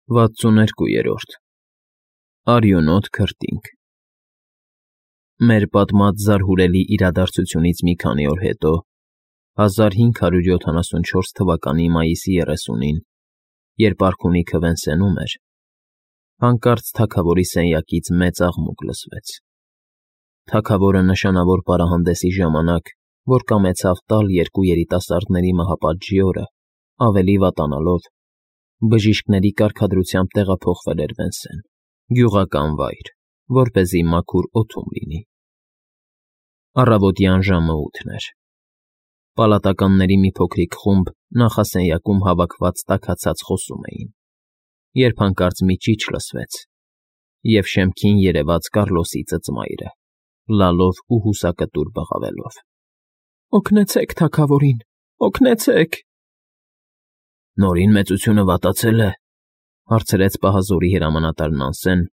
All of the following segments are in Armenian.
62-րդ Արյունոտ քրտինք Մեր պատմած զարհուրելի իրադարձությունից մի քանի օր հետո, 1574 թվականի մայիսի 30-ին, երբ արքունիքը Վենսենում էր, հանկարծ թագավորի սենյակից մեծ աղմուկ լսվեց։ Թագավորը նշանավոր պարահանդեսի ժամանակ, որ կամեցավ տալ երկու երիտասարդների մահապատժի օրը, ավելի վատանալով, բժիշկների կարգադրությամբ տեղափոխվել էր Վենսեն, գյուղական վայր, որպեսզի մաքուր օդում լինի։ Առավոտյան ժամը 8 էր։ Պալատականների մի փոքրիկ խումբ նախասենյակում հավաքված տաքացած խոսում էին, երբ հանկարծ մի ճիչ լսվեց, և շեմքին երևաց Կառլոսի ծծմայրը, լալով ու հուսակտուր բղավելով. «Օգնեցեք թագավորին, օգնեցեք»։ «Նորին մեծությունը վատացել է», հարցրեց պահազորի հրամանատար Նանսեն,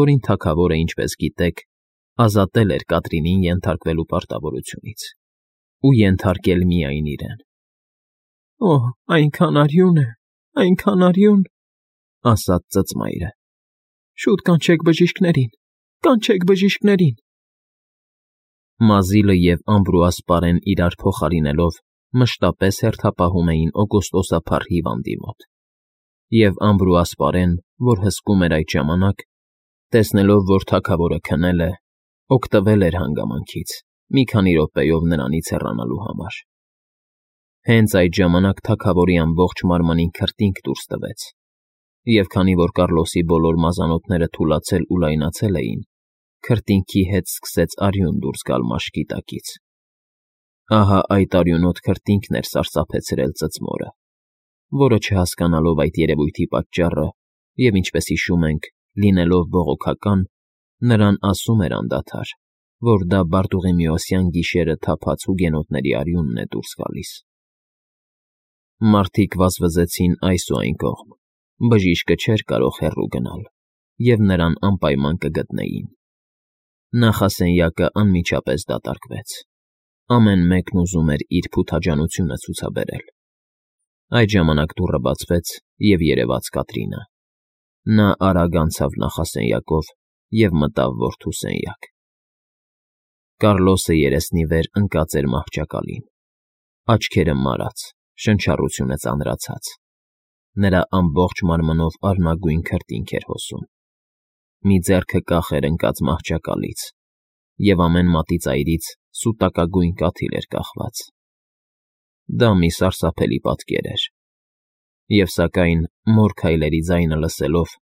որին թագավորը, ինչպես գիտեք, ազատել էր Կատրինին ենթարկվելու պարտավորությունից ու ենթարկել միայն իրեն։ «Օհ, այնքան արյուն է, այնքան արյուն», ասաց ծծմայրը։ «Շուտ կանչեք բժիշկներին, կանչեք բժիշկներին»։ Մազիլը և Ամբրուաս պարեն իրար փոխարինելով մշտապես հերթապահում էին օգոստոսափառ հիվանդի մոտ, և Ամբրուաս պարեն, որ հսկում էր այդ ժամանակ, տեսնելով, որ թագավորը քնել է, օգտվել էր հանգամանքից, մի քանի րոպեով նրանից հեռանալու համար։ Հենց այդ ժամանակ թագավորի ամբողջ մարմնին քրտինք դուրս տվեց, և քանի որ Կառլոսի բոլոր մազանոթները թուլացել ու լայնացել էին, քրտինքի հետ սկսեց արյուն դուրս գալ մաշկի տակից։ Ահա այդ արյունոտ քրտինքն էր սարսափեցրել ծծմորը, որը չհասկանալով այդ երևույթի պատճառը և, ինչպես հիշում ենք, լինելով բողոքական, նրան ասում էր անդադար, որ դա Բարտուղիմեոսյան գիշերը թափած հուգենոտների արյունն է դուրս գալիս։ Մարդիկ վազվզեցին այս ու այն կողմ, բժիշկը չէր կարող հեռու գնալ, և նրան անպայման կգտնեին։ Նախասենյակը անմիջապես դատարկվեց։ Ամեն մեկն ուզում էր իր փութաջանությունը ցուցաբերել։ Այդ ժամանակ դուռը բացվեց, և երևաց Կատրինը։ Նա արագ անցավ նախասենյակով և մտավ որդու սենյակ։ Կառլոսը երեսնի վեր ընկած էր մահճակալին, աչքերը մարած, շնչառությունը ծանրացած։ Նրա ամբողջ մարմնով արնագույն քրտինք էր հոսում։ Մի ձեռքը կախ էր ընկած մահճակալից, և ամեն մատի ծայրից սուտակագույն կաթիլ էր կախված։ Դա մի սարսափելի պատկեր էր, և սակայն, մոր քայլերի ձայնը լսելով,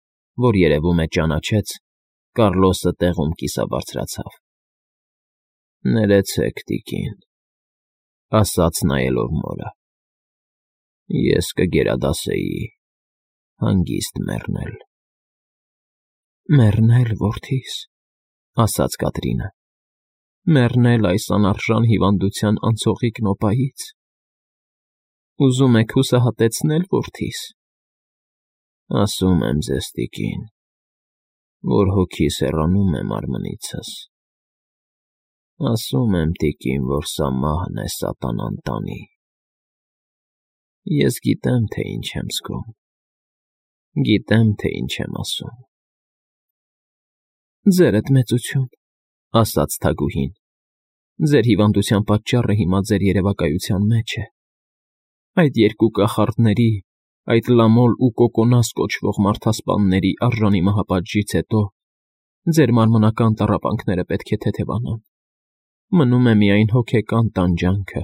որ երևում է ճանաչեց, Կառլոսը տեղում կիսաբարձրացավ։ «Ներեցեք, տիկին», ասաց նայելով մորը։ «Ես կգերադասեի հանգիստ մեռնել»։ «Մեռնել, որդիս», ասաց Կատրինը, «մեռնել այս անարժան հիվանդության անցողիկ նոպայից։ Ուզում եք հուսահատեցնե՞լ, որդիս»։ «Ասում եմ ձեզ, տիկին, որ հոգիս հեռանում է մարմնիցս։ Ասում եմ, տիկին, որ սա մահն է սատանան տանի։ Ես գիտեմ, թե ինչ եմ զգում, գիտեմ, թե ինչ եմ ասում»։ «Ձերդ մեծություն», ասաց թագուհին, «ձեր հիվանդության պատճառը հիմա ձեր երևակայության մեջ է։ Այդ երկու կախարդների, այդ Լամոլ ու Կոկոնաս կոչվող մարդասպանների արժանի մահապատժից հետո ձեր մարմնական տառապանքները պետք է թեթևանան։ Մնում է միայն հոգեկան տանջանքը,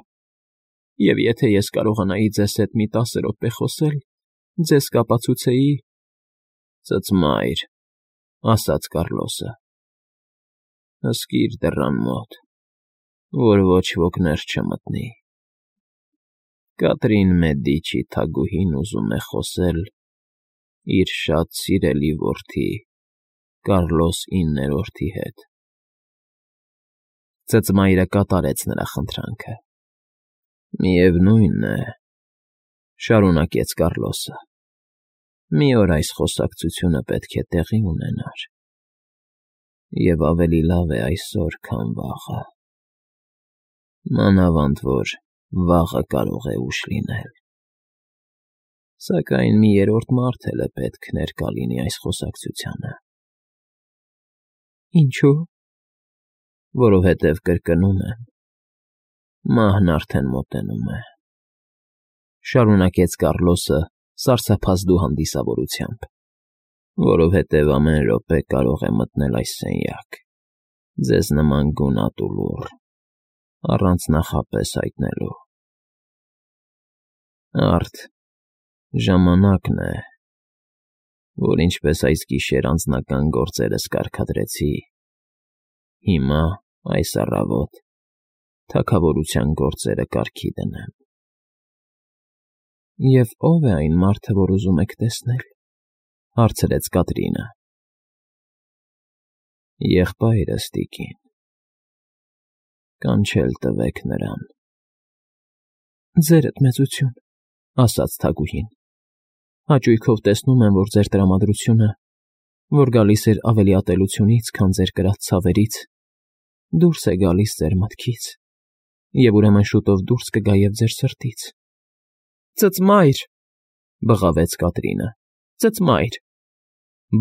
և եթե ես կարողանայի ձեզ հետ մի 10 րոպե խոսել, ձեզ կապացուցեի»։ «Ծծմայր», ասաց Կառլոսը, «հսկիր դռան մոտ, որ ոչ ոք ներս չմտնի։ Կատրին Մեդիչի թագուհին ուզում է խոսել իր շատ սիրելի որդի Կառլոս IX-ի հետ»։ Ծծմայրը կատարեց նրա խնդրանքը։ «Միևնույն է», շարունակեց Կառլոսը, «մի օր այս խոսակցությունը պետք է տեղի ունենար, և ավելի լավ է այսօր, քան վաղը, մանավանդ որ վաղը կարող է ուշ լինել»։ Սակայն մի երրորդ մարդ էլ է պետք ներկա լինի այս խոսակցությանը։ Ինչու՞։ Որովհետև կրկնում եմ, մահն արդեն մոտենում է, շարունակեց Կառլոսը սարսափազդու հանդիսավորությամբ, որովհետև ամեն րոպե կարող է մտնել այս սենյակ, ձեզ նման գունատ ու լուռ, առանց նախապես հայտնելու։ Արդ ժամանակն է, որ ինչպես այս գիշեր անձնական գործերս կարգադրեցի, հիմա այս առավոտ թագավորության գործերը կարգի դնեմ։ Եվ ո՞վ է այն մարդը, որ ուզում եք տեսնել, հարցրեց Կատրինը։ Եղբայրս, տիկին, կանչել տվեք նրան։ Ձերդ մեծություն, ասաց թագուհին, հաճույքով տեսնում եմ, որ ձեր տրամադրությունը, որ գալիս էր ավելի ատելությունից, քան ձեր կրած ցավերից, դուրս է գալիս ձեր մտքից, և ուրեմն շուտով դուրս կգա և ձեր սրտից։ Ծծմայր, բղավեց Կատրինը, ծծմայր։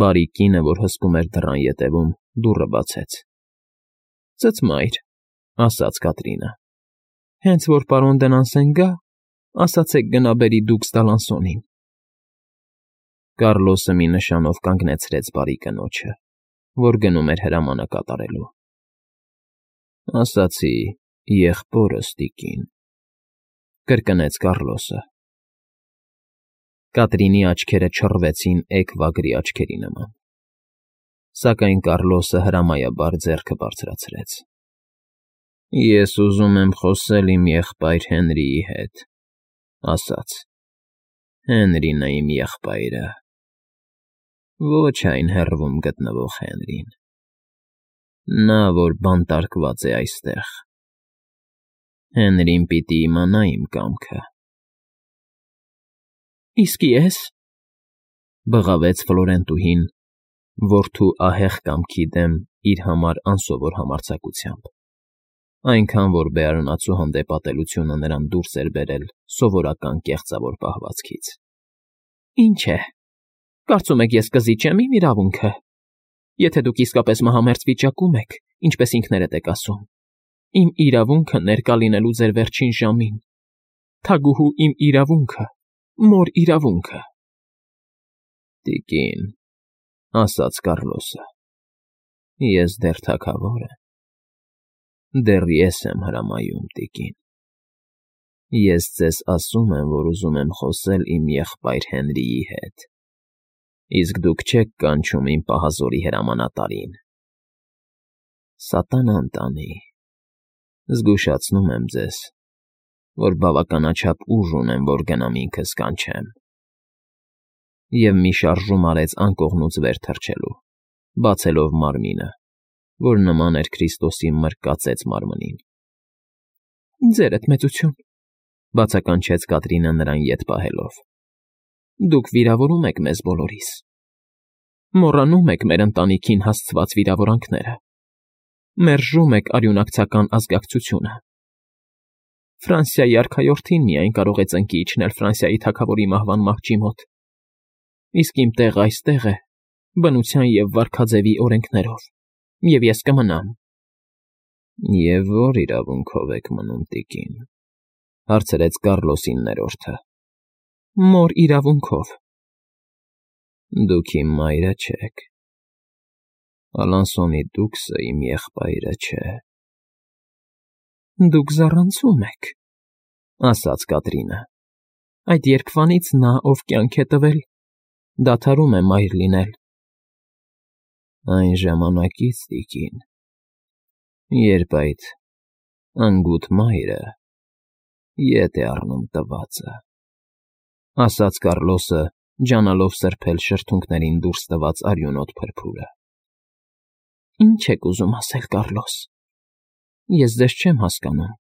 Բարի կինը, որ հսկում էր դռան ետևում, դուռը բացեց։ Ծծմայր, ասաց Կատրինը, հենց որ պարոն Դենանսեն գա, ասացեք գնա բերի դուքս Դալանսոնին։ Կառլոսը մի նշանով կանգնեցրեց բարի կնոջը, որ գնում էր հրամանը կատարելու։ Ասացի եղբորս, տիկին, կրկնեց Կառլոսը։ Կատրինի աչքերը չռվեցին էգ վագրի աչքերի նման։ Սակայն Կառլոսը հրամայաբար ձեռքը բարձրացրեց։ Ես ուզում եմ խոսել իմ եղբայր Հենրիի հետ, ասաց։ Հենրին է իմ եղբայրը։ Ոչ այն հեռվում գտնվող Հենրին։ Նա, որ բանտարկված է այստեղ։ Հենրին պիտի իմանա իմ կամքը։ Իսկ ես, բղավեց Ֆլորենտուհին, որդու ահեղ կամքի դեմ իր համար անսովոր համարձակությամբ, այնքան որ բերանացու հանդեպ ատելությունը նրան դուրս էր բերել սովորական կեղծավոր պահվածքից։ Ինչ է, կարծում եք ես կզիջեմ իմ իրավունքը, եթե դուք իսկապես մահամերձ վիճակում եք, ինչպես ինքներդ եք ասում, իմ իրավունքը ներկա լինելու ձեր վերջին ժամին, թագուհու իմ իրավունքը, մոր իրավունքը։ Տիկին, ասաց Կառլոսը, ես դեռ թագավոր եմ, դեռ ես եմ հրամայում, տիկին։ Ես ձեզ ասում եմ, որ ուզում եմ խոսել իմ եղբայր Հենրիի հետ, իսկ դուք չեք կանչում իմ պահազորի հրամանատարին։ Սատանան տանի, զգուշացնում եմ ձեզ, որ բավականաչափ ուժ ունեմ, որ գնամ ինքս կանչեմ։ Եվ մի շարժում արեց անկողնուց վեր թռչելու, բացելով մարմինը, որ նման էր Քրիստոսի մրկածեց մարմնին։ Ձերդ մեծություն, բացականչեց Կատրինը նրան ետ պահելով։ Դուք վիրավորում եք մեզ բոլորիս։ Մոռանում եք մեր ընտանիքին հասցված վիրավորանքները։ Մերժում եք արյունակցական ազգակցությունը։ Ֆրանսիայի արքայորդին միայն կարող է ծնկի իջնել Ֆրանսիայի թագավորի մահվան մահճի մոտ։ Իսկ իմ տեղը այստեղ է, բնության և վարքաձևի օրենքներով, և ես կմնամ։ Եվ ո՞ր իրավունքով եք մնում, տիկին, հարցրեց Կառլոսին ներորդը։ Մոր իրավունքով։ Դուք իմ մայրը չեք։ Ալանսոնի դուքսը իմ եղբայրը չէ։ Դուք զառանցում եք, ասաց Կատրինը։ Այդ երգվանից նա, ով կյանք է տվել, դադարում է մայր լինել։ Այն ժամանակից, տիկին, երբ այդ անգութ մայրը ետ է առնում տվածը, ասաց Կառլոսը, ջանալով սրբել շրթունքներին դուրս տված արյունոտ փրփուրը։ Ինչ եք ուզում ասել, Կառլոս։ Ես ձեզ չեմ հասկանում,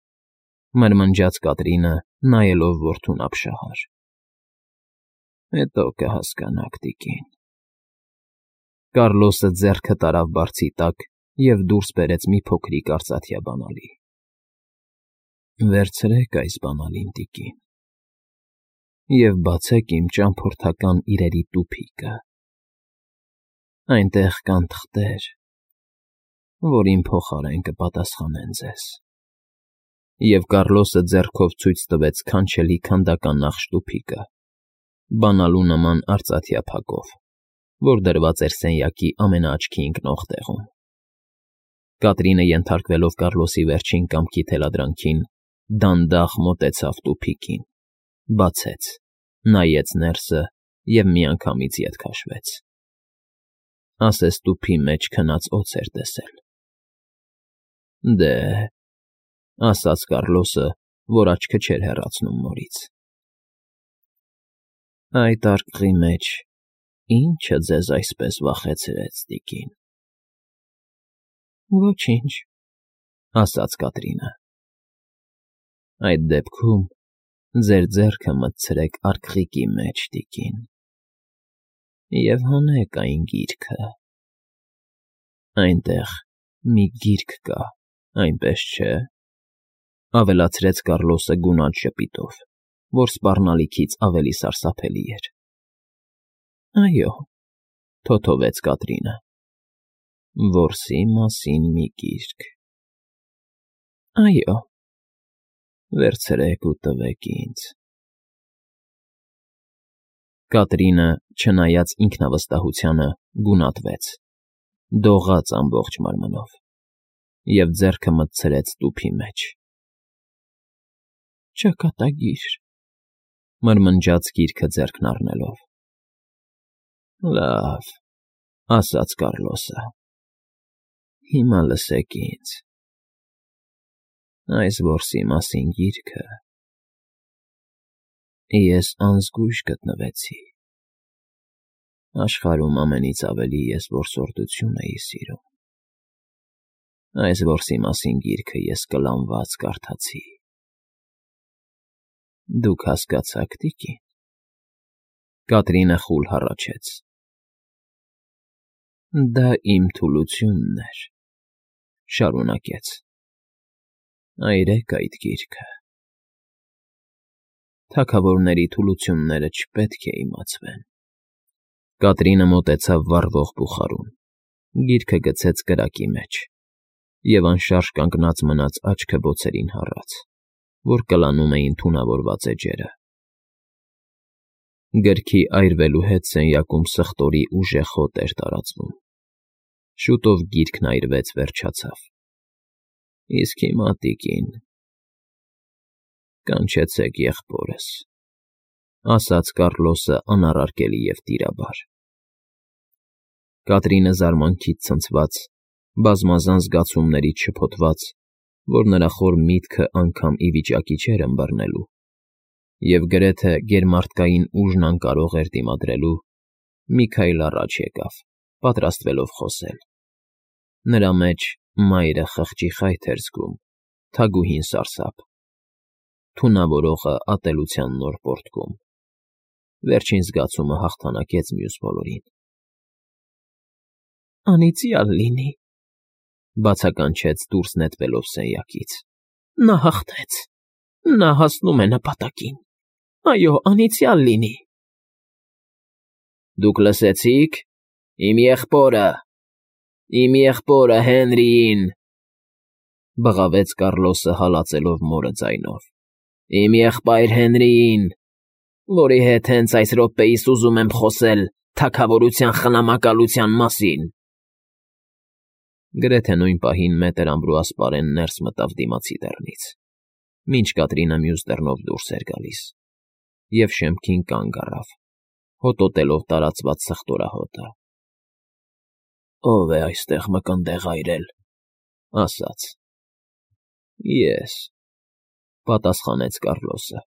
մրմնջաց Կատրինը, նայելով որդուն ապշահար։ Հետո կհասկանաք, տիկին։ Կառլոսը ձեռքը տարավ բարձի տակ և դուրս բերեց մի փոքրիկ արծաթյա բանալի։ Վերցրեք այս բանալին, տիկին։ և բացեք իմ ճամփորդական իրերի տուփիկը։ Այնտեղ կան թղթեր, որ իմ փոխարեն կպատասխանեն ձեզ։ Եվ Կառլոսը ձեռքով ցույց տվեց քանչելի քանդական նախշ տուփիկը, բանալու նման արծաթյա փակով, որ դրված էր սենյակի ամենաաչքի ընկնող տեղում։ Կատրինը, ենթարկվելով Կառլոսի վերջին կամքի թելադրանքին, դանդաղ մոտեցավ տուփիկին, բացեց, նայեց ներսը և միանգամից ետ քաշվեց։ Ասես տուփի մեջ քնած օձ էր տեսել։ Դե,֊ ասաց Կառլոսը, որ աչքը չէր հեռացնում նորից։ Այդ արկղի մեջ ի՞նչը ձեզ այսպես վախեցրեց, տիկին։ Ոչինչ, ասաց Կատրինը։ Այդ դեպքում ձեր ձեռքը մտցրեք արկղիկի մեջ, տիկին, և հանեք այն գիրքը։ Այնտեղ մի գիրք կա, այնպես չէ՞, ավելացրեց Կառլոսը գունատ ժպիտով, որ սպառնալիքից ավելի սարսափելի էր։ Այո, թոթովեց Կատրինը, որսի մասին մի գիրք։ Այո, վերցրեք ու տվեք ինձ։ Կատրինը, չնայած ինքնավստահությանը, գունատվեց, դողաց ամբողջ մարմնով և ձեռքը մտցրեց տուփի մեջ։ Ճակատագիր, մրմնջաց գիրքը ձեռքն առնելով։ Լավ, ասաց Կառլոսը, հիմա լսեք ինձ։ Այս որսի մասին գիրքը ես անզգույշ գտնվեցի։ Աշխարհում ամենից ավելի ես որսորդություն էի սիրում։ Այս որսի մասին գիրքը ես կլանված կարդացի։ Դուք հասկացաք, տիկին։ Կատրինը խուլ հառաչեց։ Դա իմ թուլությունն էր, շարունակեց։ Այրեք այդ գիրքը։ Թագավորների թուլությունները չպետք է իմացվեն։ Կատրինը մոտեցավ վառվող բուխարուն, գիրքը գցեց կրակի մեջ և անշարժ կանգնած մնաց աչքը բոցերին հառած, որ կլանում էին թունավորված էջերը։ Գրքի այրվելու հետ սենյակում սխտորի ուժեղ հոտ էր տարածվում։ Շուտով գիրքն այրվեց, վերջացավ։ Իսկ հիմա, տիկին, կանչեցեք եղբորս, ասաց Կառլոսը անառարկելի և տիրաբար։ Կատրինը զարմանքից ցնցված, բազմազան զգացումներից շփոթված, որ նրա խոր միտքը անգամ ի վիճակի չէր ըմբռնելու, և գրեթե գերմարդկային ուժն անկարող էր դիմադրելու, մի քայլ առաջ եկավ, պատրաստվելով խոսել։ Նրա մեջ մայրը խղճի խայթ էր զգում, թագուհին սարսափ, թունավորողը ատելության նոր պոռթկում։ Վերջին զգացումը հաղթանակեց մյուս բոլորին։ Անիծյալ լինի, բացականչեց դուրս նետվելով սենյակից։ Նա հաղթեց։ Նա հասնում է նպատակին։ Այո, անիծյալ լինի։ Դուք լսեցի՞ք։ Իմ եղբորը Հենրիին, բղավեց Կառլոսը հալածելով մորը ձայնով։ Իմ եղբայր Հենրիին, որի հետ հենց այս րոպեիս ուզում եմ խոսել թագավորության խնամակալության մասին։ Գրեթե նույն պահին մետր Ամբրուաս ներս մտավ դիմացի դռնից, մինչ Կատրինը մյուս դռնով դուրս էր գալիս, և շեմքին կանգ առավ, հոտոտելով տարածված սխտորահոտը։ Ո՞վ է այստեղ մկնդեղ այրել, ասաց։ Ես, պատասխանեց Կառլոսը։